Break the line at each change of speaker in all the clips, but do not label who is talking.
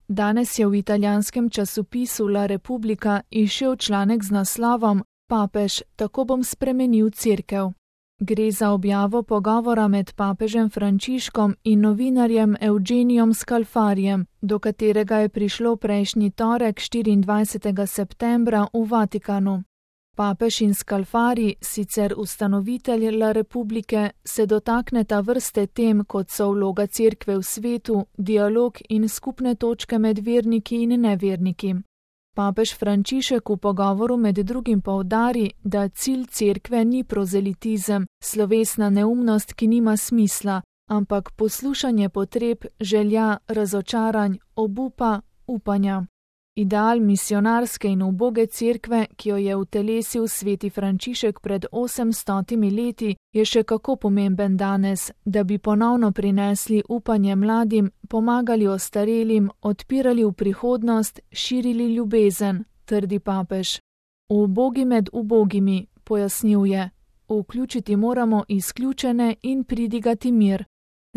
Danes je v italijanskem časopisu La Repubblica izšel članek z naslovom Papež, tako bom spremenil cerkev. Gre za objavo pogovora med papežem Frančiškom in novinarjem Eugenijom Scalfarijem, do katerega je prišlo prejšnji torek 24. septembra v Vatikanu. Papež in Scalfari, sicer ustanovitelj La Republike, se dotakneta vrste tem, kot so vloga cerkve v svetu, dialog in skupne točke med verniki in neverniki. Papež Frančišek v pogovoru med drugim poudari, da cilj cerkve ni prozelitizem, slovesna neumnost, ki nima smisla, ampak poslušanje potreb, želja, razočaranj, obupa, upanja. Ideal misionarske in uboge cerkve, ki jo je utelesil sveti Frančišek pred 800 leti, je še kako pomemben danes, da bi ponovno prinesli upanje mladim, pomagali ostarelim, odpirali v prihodnost, širili ljubezen, trdi papež. Ubogi med ubogimi, pojasnjuje, vključiti moramo izključene in pridigati mir.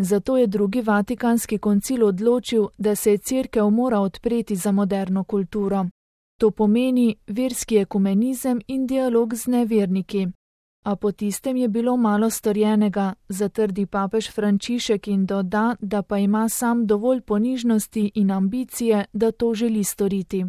Zato je drugi Vatikanski koncil odločil, da se cerkev mora odpreti za moderno kulturo. To pomeni verski ekumenizem in dialog z neverniki. A po tistem je bilo malo storjenega, zatrdi papež Frančišek in doda, da pa ima sam dovolj ponižnosti in ambicije, da to želi storiti.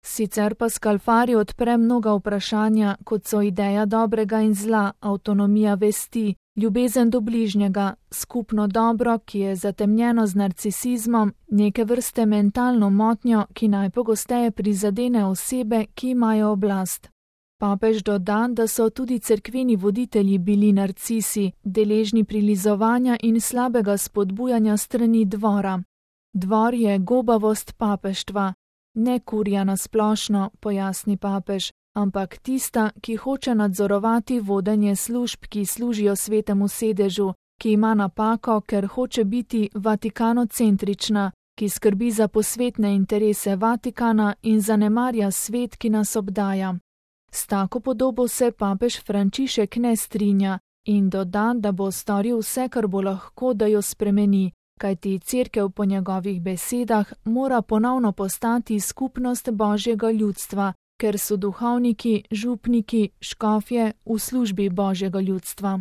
Sicer pa Scalfari odpre mnoga vprašanja, kot so ideja dobrega in zla, avtonomija vesti, ljubezen do bližnjega, skupno dobro, ki je zatemnjeno z narcisizmom, neke vrste mentalno motnjo, ki najpogosteje prizadene osebe, ki imajo oblast. Papež doda, da so tudi cerkveni voditelji bili narcisi, deležni prilizovanja in slabega spodbujanja strani dvora. Dvor je gobavost papeštva, ne kurja na splošno, pojasni papež, ampak tista, ki hoče nadzorovati vodenje služb, ki služijo svetemu sedežu, ki ima napako, ker hoče biti vatikanocentrična, ki skrbi za posvetne interese Vatikana in zanemarja svet, ki nas obdaja. S tako podobo se papež Frančišek ne strinja in doda, da bo storil vse, kar bo lahko, da jo spremeni, kajti cerkev po njegovih besedah mora ponovno postati skupnost Božjega ljudstva, ker so duhovniki, župniki, škofje v službi Božjega ljudstva.